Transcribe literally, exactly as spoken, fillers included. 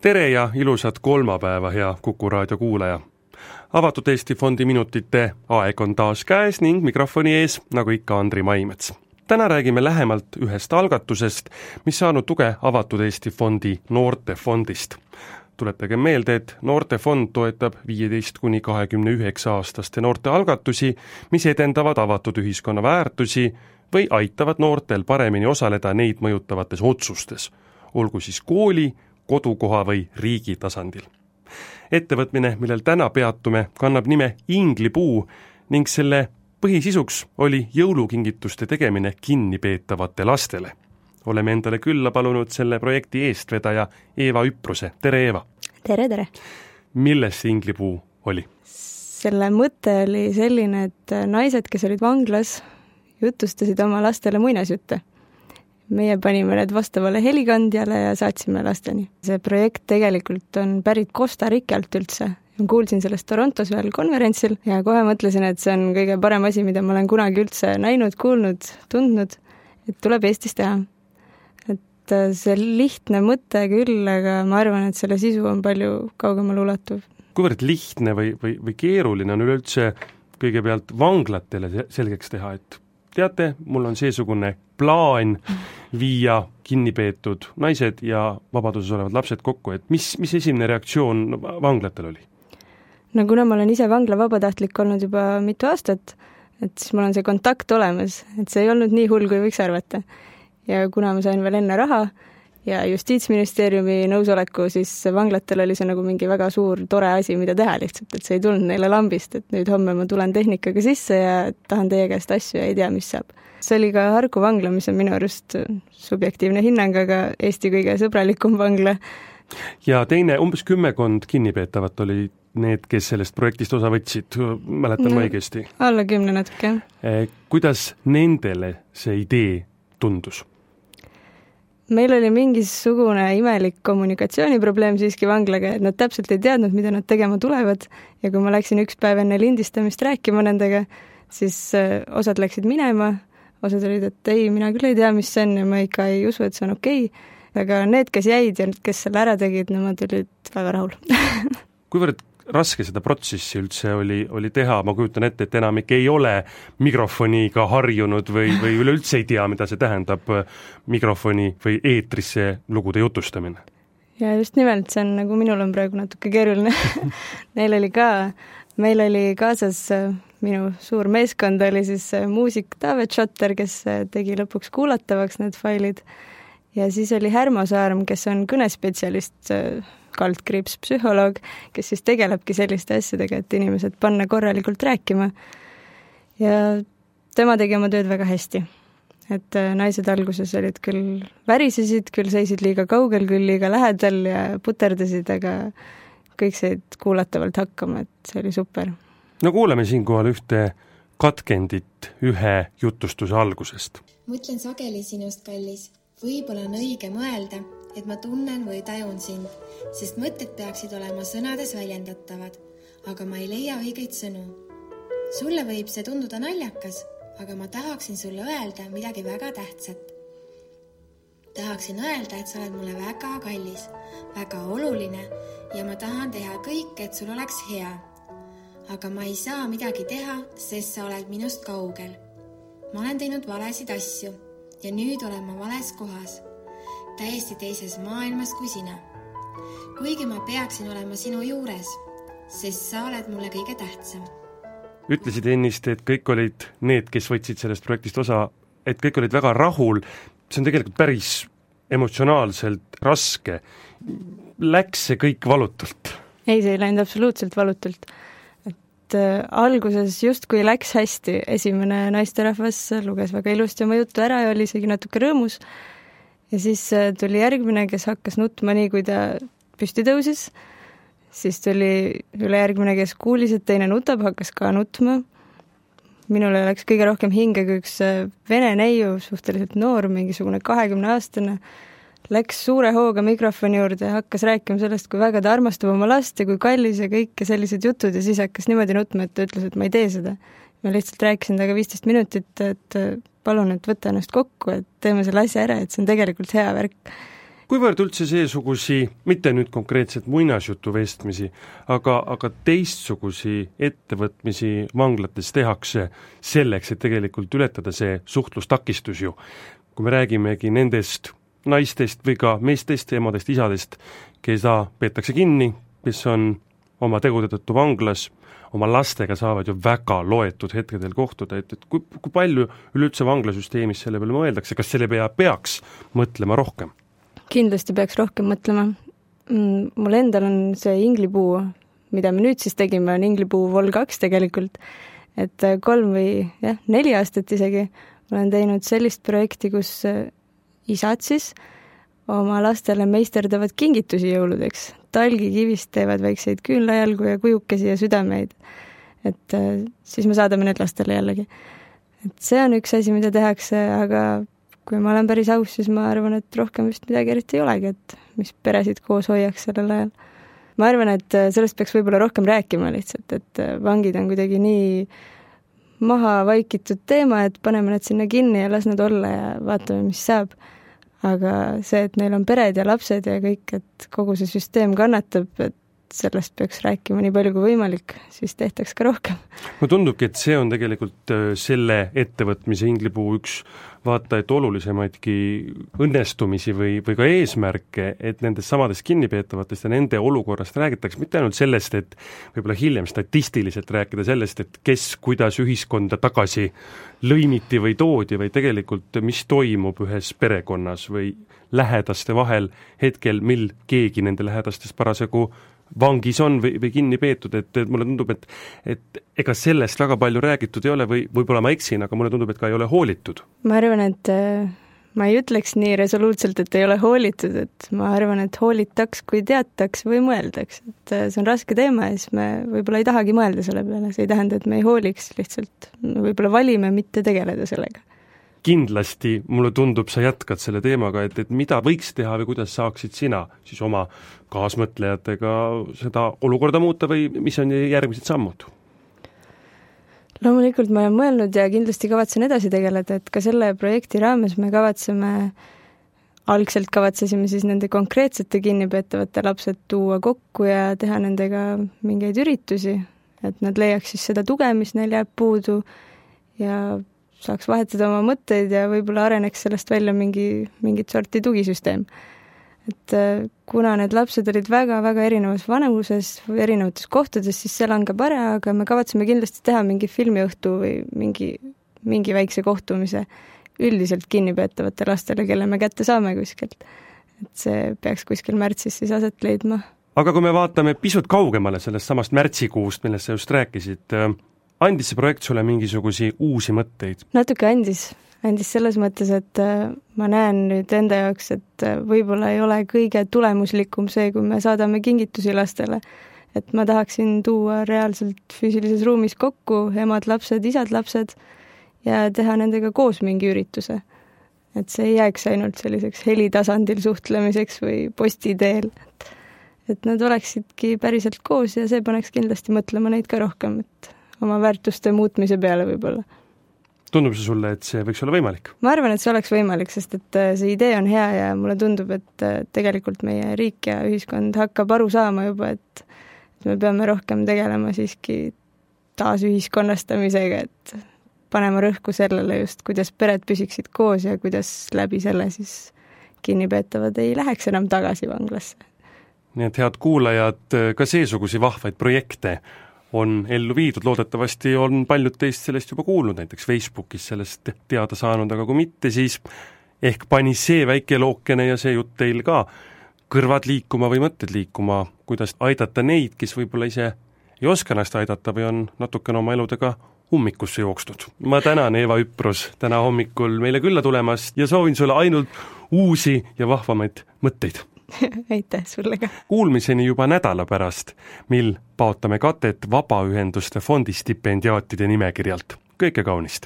Tere ja ilusat kolmapäeva, hea Kuku raadio kuulaja. Avatud Eesti Fondi minutite aeg on taas käes ning mikrofoni ees, nagu ikka, Andri Maimets. Täna räägime lähemalt ühest algatusest, mis saanud tuge Avatud Eesti Fondi noortefondist. Tuletage meelde, et noortefond toetab viieteist kuni kahekümne üheksa aastaste noorte algatusi, mis edendavad avatud ühiskonna väärtusi või aitavad noortel paremini osaleda neid mõjutavates otsustes, olgu siis kooli, kodukoha või riigi tasandil. Ettevõtmine, millel täna peatume, kannab nime Inglipuu ning selle põhisisuks oli jõulukingituste tegemine kinnipeetavate lastele. Oleme endale külla palunud selle projekti eestvedaja Eeva Üpruse. Tere, Eeva! Tere, tere! Milles see Inglipuu oli? Selle mõte oli selline, et naised, kes olid vanglas, jutustasid oma lastele muinasjutte. Meie panime need vastavale helikandjale ja saatsime lasteni. See projekt tegelikult on pärit Costa Ricalt üldse. Kuulsin sellest Torontos ühel konverentsil ja kohe mõtlesin, et see on kõige parem asi, mida ma olen kunagi üldse näinud, kuulnud, tundnud, et tuleb Eestis teha. Et see lihtne mõte küll, aga ma arvan, et selle sisu on palju kaugemal ulatuv. Kuivõrd lihtne või, või, või keeruline on üleüldse kõigepealt vanglatele selgeks teha, et teate, mul on seesugune plaan viia kinnipeetud naised ja vabaduses olevad lapsed kokku, et mis, mis esimene reaktsioon vanglatel oli? No kuna ma olen ise vangla vabatahtlik olnud juba mitu aastat, et siis mul on see kontakt olemas, et see ei olnud nii hull, kui võiks arvata. Ja kuna ma sain veel enne raha ja Justiitsministeeriumi nõusoleku, siis vanglatel oli see nagu mingi väga suur, tore asi, mida teha lihtsalt, et see ei tulnud neile lambist, et nüüd homme ma tulen tehnikaga sisse ja tahan teie käest asju ja ei tea, mis saab. See oli ka Harku vangla, mis on minu arust subjektiivne hinnang, aga Eesti kõige sõbralikum vangla. Ja teine, umbes kümmekond kinnipeetavat oli need, kes sellest projektist osa võtsid, mäletan no, õigesti. Alla kümne natuke. Kuidas nendele see idee tundus? Meil oli mingisugune imelik kommunikatsiooniprobleem siiski vanglaga, et nad täpselt ei teadnud, mida nad tegema tulevad ja kui ma läksin üks päev enne lindistamist rääkima nendega, siis osad läksid minema, osad olid, et ei, mina küll ei tea, mis see on ja ma ikka ei usu, et see on okei, aga need, kes jäid ja kes selle ära tegid, nemad olid väga rahul. Kuivõrd raske seda protsessi üldse oli, oli teha, ma kujutan ette, et enamik ei ole mikrofoniga harjunud või, või üleüldse ei tea, mida see tähendab mikrofoni või eetrisse lugude jutustamine. Ja just nimelt, see on nagu minul on praegu natuke keeruline. Neil oli ka, meil oli kaasas minu suur meeskond, oli siis muusik David Schotter, kes tegi lõpuks kuulatavaks need failid ja siis oli Härmo Saarm, kes on kõnespetsialist, kaldkriips psühholoog, kes siis tegelebki selliste asjadega, et inimesed panna korralikult rääkima. Ja tema tegi oma tööd väga hästi. Et naised alguses olid küll värisesid, küll seisid liiga kaugel, küll liiga lähedal ja puterdasid, aga kõik said kuulatavalt hakkama, et see oli super. No kuuleme siinkohal ühte katkendit ühe jutustuse algusest. Mõtlen sageli sinust, kallis. Võib-olla on õige mõelda, et ma tunnen või tajun sind, sest mõtted peaksid olema sõnades väljendatavad, aga ma ei leia õigeid sõnu. Sulle võib see tunduda naljakas, aga ma tahaksin sulle öelda midagi väga tähtsat. Tahaksin öelda, et sa oled mulle väga kallis, väga oluline ja ma tahan teha kõik, et sul oleks hea. Aga ma ei saa midagi teha, sest sa oled minust kaugel. Ma olen teinud valesid asju ja nüüd olen ma vales kohas. Täiesti teises maailmas kui sina. Kuigi ma peaksin olema sinu juures, sest sa oled mulle kõige tähtsam. Ütlesid ennist, et kõik olid need, kes võtsid sellest projektist osa, et kõik olid väga rahul. See on tegelikult päris emotsionaalselt raske. Läks see kõik valutult? Ei, see ei läinud absoluutselt valutult. Et äh, alguses just kui läks hästi, esimene naisterahvas luges väga ilusti oma juttu ära ja oli isegi natuke rõõmus. Ja siis tuli järgmine, kes hakkas nutma nii, kui ta püsti tõusis. Siis tuli üle järgmine, kes kuulis, et teine nutab, hakkas ka nutma. Minule läks kõige rohkem hinge, kui üks vene neiu, suhteliselt noor, mingisugune kahekümne aastane, läks suure hooga mikrofoni juurde ja hakkas rääkima sellest, kui väga ta armastab oma last ja kui kallis ja kõik ja sellised jutud ja siis hakkas niimoodi nutma, et ta ütles, et ma ei tee seda. Ma lihtsalt rääkisin temaga viisteist minutit, et palun, et võtta ennast kokku, et teeme selle asja ära, et see on tegelikult hea värk. kuivõrd üldse seesugusi, mitte nüüd konkreetselt muinasjutu vestmisi, aga, aga teistsugusi ettevõtmisi vanglates tehakse selleks, et tegelikult ületada see suhtlustakistus ju. Kui me räägimegi nendest naistest või ka meestest, emadest, isadest, keda peetakse kinni, kes on oma tegude tõttu vanglas, oma lastega saavad ju väga loetud hetkedel kohtuda, et, et kui, kui palju üleüldse vanglasüsteemis selle peale mõeldakse, kas selle pea peaks mõtlema rohkem? Kindlasti peaks rohkem mõtlema. Mul endal on see inglipuu, mida me nüüd siis tegime, on inglipuu vol kaks tegelikult, et kolm või jah, neli aastat isegi olen teinud sellist projekti, kus isad siis oma lastele meisterdavad kingitusi jõuludeks. Talgikivist teevad väikseid küünlajalgu ja kujukesi ja südameid. Et siis me saadame need lastele jällegi. Et see on üks asi, mida tehakse, aga kui ma olen päris aus, siis ma arvan, et rohkem vist midagi eriti ei olegi, et mis peresid koos hoiaks sellel ajal. Ma arvan, et sellest peaks võib-olla rohkem rääkima lihtsalt, et vangid on kuidagi nii maha vaikitud teema, et paneme need sinna kinni ja las nad olla ja vaatame, mis saab. Aga see, et neil on pered ja lapsed ja kõik, et kogu see süsteem kannatab, et sellest peaks rääkima nii palju kui võimalik, siis tehtaks ka rohkem. Mulle tundubki, et see on tegelikult selle ettevõtmise inglipuu üks vaata, et olulisemaidki õnnestumisi või, või ka eesmärke, et nendest samadest kinnipeetavatest ja nende olukorrast räägitakse mitte ainult sellest, et võib-olla hiljem statistiliselt rääkida sellest, et kes kuidas ühiskonda tagasi lõimiti või toodi, või tegelikult mis toimub ühes perekonnas või lähedaste vahel hetkel, mil keegi nende lähedastest parasjagu vangis on või, või kinni peetud, et, et mulle tundub, et, et ega sellest väga palju räägitud ei ole või võib-olla ma eksin, aga mulle tundub, et ka ei ole hoolitud. Ma arvan, et ma ei ütleks nii resoluutselt, et ei ole hoolitud, et ma arvan, et hoolitaks, kui teataks või mõeldaks. Et see on raske teema ja siis me võib-olla ei tahagi mõelda selle peale, see ei tähenda, et me ei hooliks, lihtsalt võib-olla valime mitte tegeleda sellega. Kindlasti, mulle tundub, sa jätkad selle teemaga, et, et mida võiks teha või kuidas saaksid sina siis oma kaasmõtlejatega seda olukorda muuta või mis on järgmised sammud? Loomulikult ma olen mõelnud ja kindlasti kavatsen edasi tegeleda, et ka selle projekti raames me kavatseme, algselt kavatsesime siis nende konkreetsete kinnipeetavate lapsed tuua kokku ja teha nendega mingeid üritusi, et nad leiaks siis seda tuge, mis neil jääb puudu ja saaks vahetada oma mõtteid ja võib-olla areneks sellest välja mingi, mingit sorti tugisüsteem. Et kuna need lapsed olid väga-väga erinevas vanuses või erinevates kohtades, siis see langeb ära, aga me kavatseme kindlasti teha mingi filmiõhtu või mingi, mingi väikse kohtumise üldiselt kinnipeetavate lastele, kelle me kätte saame kuskilt. Et see peaks kuskil märtsis siis aset leidma. Aga kui me vaatame pisut kaugemale sellest samast märtsikuust, millest sa just rääkisid, andis see projekt sulle mingisugusi uusi mõtteid? Natuke andis. Andis selles mõttes, et ma näen nüüd enda jaoks, et võib-olla ei ole kõige tulemuslikum see, kui me saadame kingitusi lastele. Et ma tahaksin tuua reaalselt füüsilises ruumis kokku emad, lapsed, isad, lapsed ja teha nendega koos mingi ürituse. Et see ei jääks ainult selliseks helitasandil suhtlemiseks või posti teel. Et, et nad oleksidki päriselt koos ja see paneks kindlasti mõtlema neid ka rohkem, et oma väärtuste muutmise peale võib-olla. Tundub see sulle, et see võiks olla võimalik? Ma arvan, et see oleks võimalik, sest et see idee on hea ja mulle tundub, et tegelikult meie riik ja ühiskond hakkab aru saama juba, et me peame rohkem tegelema siiski taasühiskonnastamisega, et panema rõhku sellele just, kuidas pered püsiksid koos ja kuidas läbi selle siis kinnipeetavad ei läheks enam tagasi vanglasse. Nii et head kuulajad, ka seesugusi vahvaid projekte on ellu viidud, loodetavasti on paljud teist sellest juba kuulnud, näiteks Facebookis sellest teada saanud, aga kui mitte, siis ehk pani see väike lookene ja see jutt teil ka kõrvad liikuma või mõtted liikuma, kuidas aidata neid, kes võib-olla ise ei oska ennast aidata või on natukene oma eludega ummikusse jookstud. Ma tänan, Eeva Üprus, täna hommikul meile külla tulemast ja soovin sulle ainult uusi ja vahvamaid mõtteid. Aitäh sulle ka. Kuulmiseni juba nädala pärast, mil paotame katet Vabaühenduste fondi stipendiaatide nimekirjalt. Kõike kaunist!